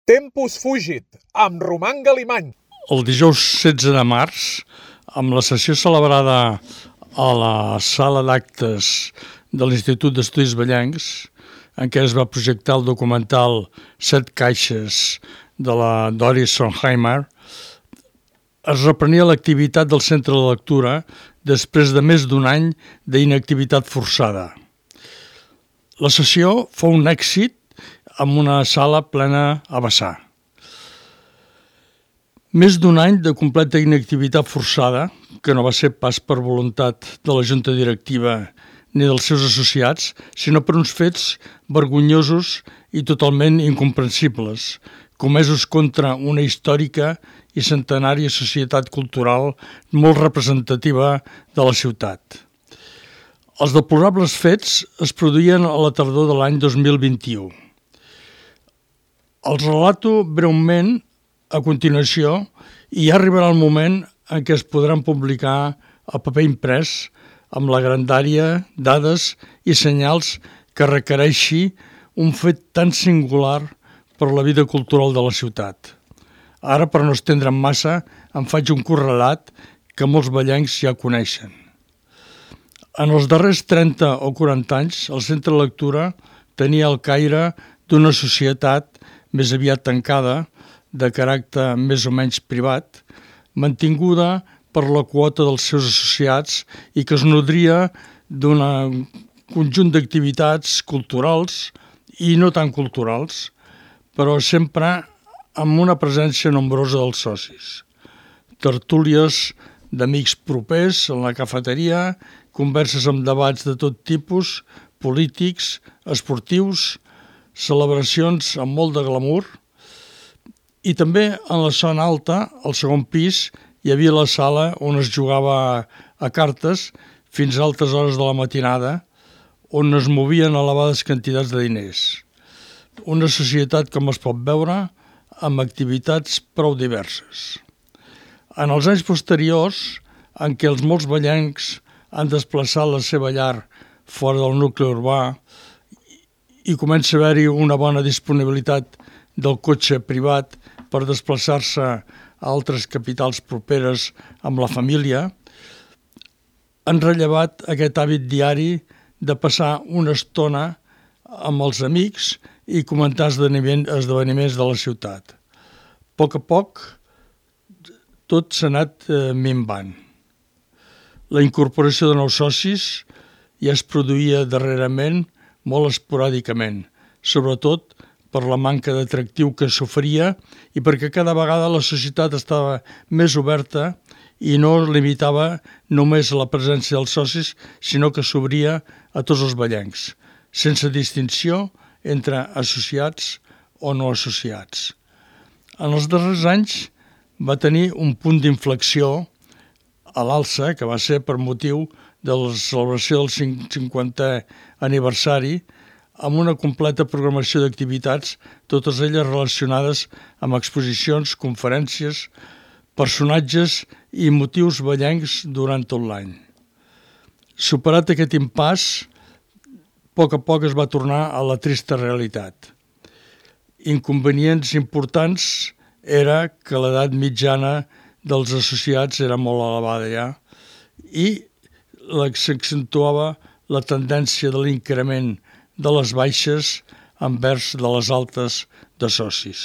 Tempus Fugit, amb Roman Galimany. El dijous 16 de març, amb la sessió celebrada a la sala d'actes de l'Institut d'Estudis Vallencs, en què es va projectar el documental Set caixes de la Doris Sonheimer, es reprenia l'activitat del Centre de Lectura després de més d'un any d'inactivitat forçada. La sessió fou un èxit amb una sala plena a vessar. Més d'un any de completa inactivitat forçada, que no va ser pas per voluntat de la junta directiva ni dels seus associats, sinó per uns fets vergonyosos i totalment incomprensibles, comesos contra una històrica i centenària societat cultural molt representativa de la ciutat. Els deplorables fets es produïen a la tardor de l'any 2021. Els relato breument a continuació i ja arribarà el moment en què es podran publicar a paper imprès amb la grandària, dades i senyals que requereixi un fet tan singular per la vida cultural de la ciutat. Ara, per no estendre'm massa, em faig un curt relat que molts vallencs ja coneixen. En els darrers 30 o 40 anys, el Centre de Lectura tenia el caire d'una societat més aviat tancada, de caràcter més o menys privat, mantinguda per la quota dels seus associats i que es nodria d'un conjunt d'activitats culturals i no tan culturals, però sempre amb una presència nombrosa dels socis. Tertúlies d'amics propers en la cafeteria, converses amb debats de tot tipus, polítics, esportius, celebracions amb molt de glamour, i també en la zona alta, al segon pis, hi havia la sala on es jugava a cartes fins a altes hores de la matinada, on es movien elevades quantitats de diners. Una societat, com es pot veure, amb activitats prou diverses. En els anys posteriors, en què els molts vallencs han desplaçat la seva llar fora del nucli urbà i comença a haver-hi una bona disponibilitat del cotxe privat per desplaçar-se a altres capitals properes amb la família, han rellevat aquest hàbit diari de passar una estona amb els amics i comentar esdeveniments de la ciutat. A poc, tot s'ha anat minvant. La incorporació de nous socis ja es produïa darrerament molt esporàdicament, sobretot per la manca d'atractiu que s'oferia i perquè cada vegada la societat estava més oberta i no es limitava només a la presència dels socis, sinó que s'obria a tots els vallencs, sense distinció entre associats o no associats. En els darrers anys va tenir un punt d'inflexió a l'alça, que va ser per motiu de la celebració del 50è aniversari, amb una completa programació d'activitats, totes elles relacionades amb exposicions, conferències, personatges i motius vallencs durant tot l'any. Superat aquest impàs, a poc es va tornar a la trista realitat. Inconvenients importants era que l'edat mitjana dels associats era molt elevada ja i s'accentuava la tendència de l'increment de les baixes envers de les altes de socis.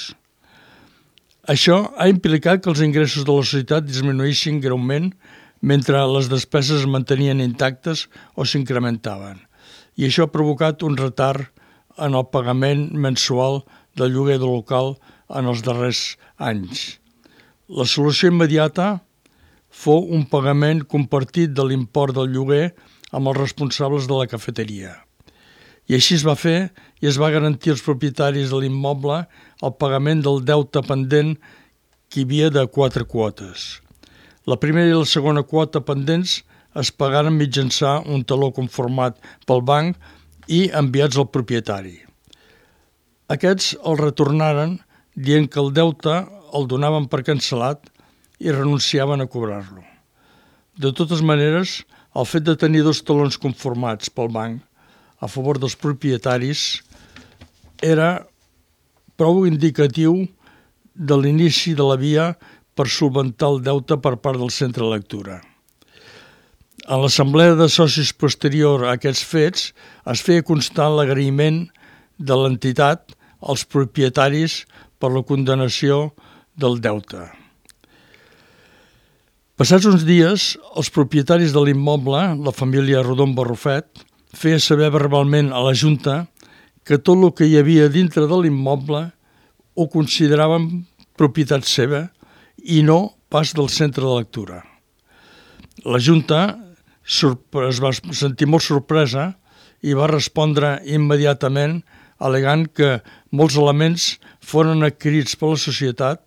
Això ha implicat que els ingressos de la societat disminuïssin greument mentre les despeses es mantenien intactes o s'incrementaven. I això ha provocat un retard en el pagament mensual del lloguer del local en els darrers anys. La solució immediata fou un pagament compartit de l'import del lloguer amb els responsables de la cafeteria. I així es va fer i es va garantir als propietaris de l'immoble el pagament del deute pendent que hi havia de 4 quotes. La primera i la segona quota pendents es pagaren mitjançant un taló conformat pel banc i enviats al propietari. Aquests el retornaren dient que el deute el donaven per cancel·lat i renunciaven a cobrar-lo. De totes maneres, el fet de tenir 2 talons conformats pel banc a favor dels propietaris era prou indicatiu de l'inici de la via per solventar el deute per part del centre de lectura. En l'assemblea de socis posterior a aquests fets es feia constar l'agraïment de l'entitat als propietaris per la condonació del deute. Passats uns dies, els propietaris de l'immoble, la família Rodon Barrufet, feia saber verbalment a la Junta que tot el que hi havia dintre de l'immoble ho consideraven propietat seva i no pas del centre de lectura. La Junta es va sentir molt sorpresa i va respondre immediatament al·legant que molts elements foren adquirits per la societat,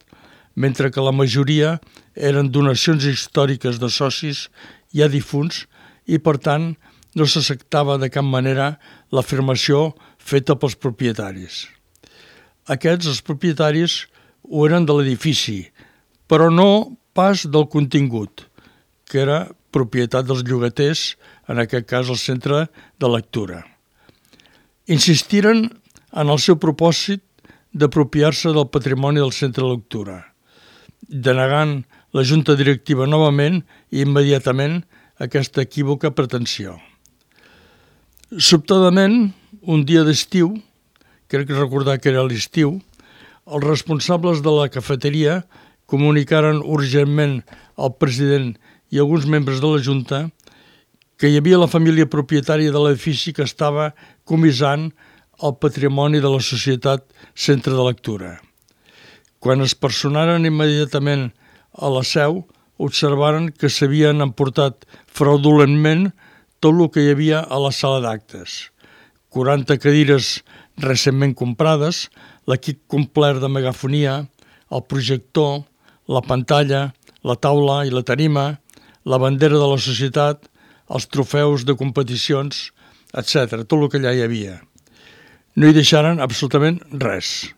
mentre que la majoria eren donacions històriques de socis ja difunts i, per tant, no s'acceptava de cap manera l'afirmació feta pels propietaris. Aquests, els propietaris, ho eren de l'edifici, però no pas del contingut, que era propietat dels llogaters, en aquest cas el centre de lectura. Insistiren en el seu propòsit d'apropiar-se del patrimoni del centre de lectura, denegant la Junta Directiva novament i immediatament aquesta equívoca pretensió. Sobtadament, un dia d'estiu, crec recordar que era l'estiu, els responsables de la cafeteria comunicaren urgentment al president i alguns membres de la Junta que hi havia la família propietària de l'edifici que estava comissant el patrimoni de la societat Centre de Lectura. Quan es personaren immediatament a la seu, observaren que s'havien emportat fraudulentment tot el que hi havia a la sala d'actes. 40 cadires recentment comprades, l'equip complet de megafonia, el projector, la pantalla, la taula i la tarima, la bandera de la societat, els trofeus de competicions, etc. Tot el que allà hi havia. No hi deixaren absolutament res.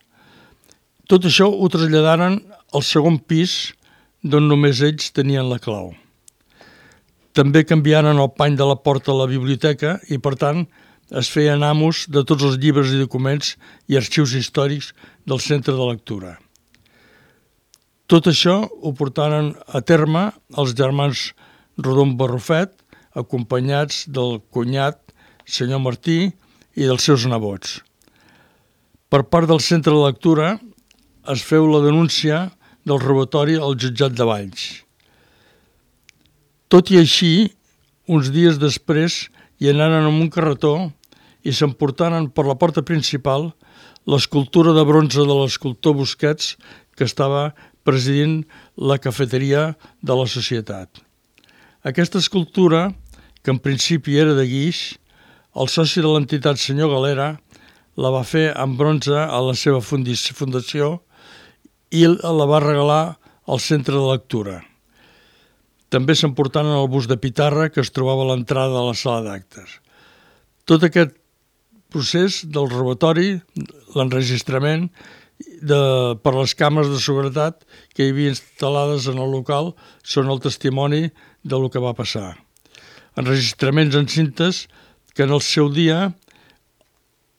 Tot això ho traslladaren al segon pis, d'on només ells tenien la clau. També canviaren el pany de la porta a la biblioteca i, per tant, es feien amos de tots els llibres i documents i arxius històrics del centre de lectura. Tot això ho portaren a terme els germans Rodon Barrufet, acompanyats del cunyat, senyor Martí, i dels seus nebots. Per part del centre de lectura es feu la denúncia del robatori al jutjat de Valls. Tot i així, uns dies després hi anaren amb un carretó i s'emportaren per la porta principal l'escultura de bronze de l'escultor Busquets que estava presidint la cafeteria de la societat. Aquesta escultura, que en principi era de guix, el soci de l'entitat, senyor Galera, la va fer en bronze a la seva fundació i la va regalar al centre de lectura. També s'emportaren el bust de pitarra que es trobava a l'entrada de la sala d'actes. Tot aquest procés del robatori, l'enregistrament per les càmeres de seguretat que hi havia instal·lades en el local són el testimoni del que va passar. Enregistraments en cintes que en el seu dia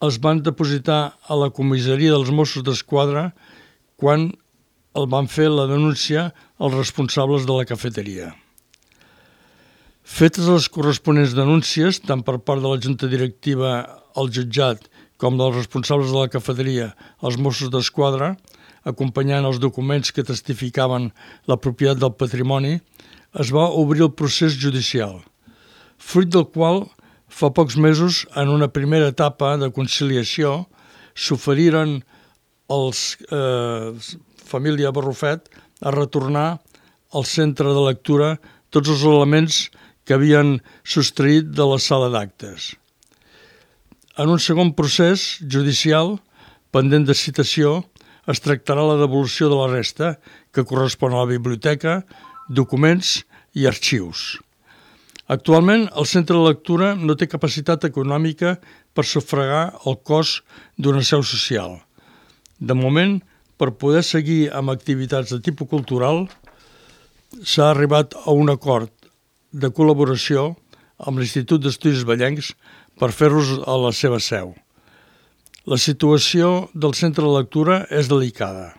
es van depositar a la comissaria dels Mossos d'Esquadra quan el van fer la denúncia als responsables de la cafeteria. Fetes les corresponents denúncies, tant per part de la Junta Directiva al jutjat com dels responsables de la cafeteria als Mossos d'Esquadra, acompanyant els documents que testificaven la propietat del patrimoni, es va obrir el procés judicial, fruit del qual fa pocs mesos, en una primera etapa de conciliació, s'oferiren els família Barrufet a retornar al centre de lectura tots els elements que havien sostraït de la sala d'actes. En un segon procés judicial, pendent de citació, es tractarà la devolució de la resta, que correspon a la biblioteca, documents i arxius. Actualment, el centre de lectura no té capacitat econòmica per sufragar el cost d'una seu social. De moment, per poder seguir amb activitats de tipus cultural, s'ha arribat a un acord de col·laboració amb l'Institut d'Estudis Vallencs per fer-los a la seva seu. La situació del centre de lectura és delicada.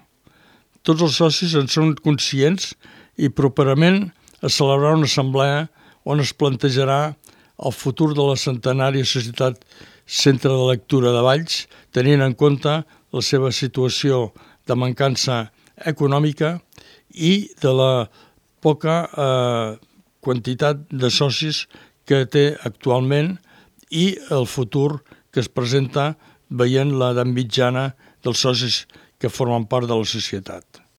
Tots els socis en són conscients i properament es celebrarà una assemblea on es plantejarà el futur de la centenària Societat Centre de Lectura de Valls, tenint en compte la seva situació de mancança econòmica i de la poca quantitat de socis que té actualment i el futur que es presenta veient l'edat mitjana dels socis que formen part de la societat.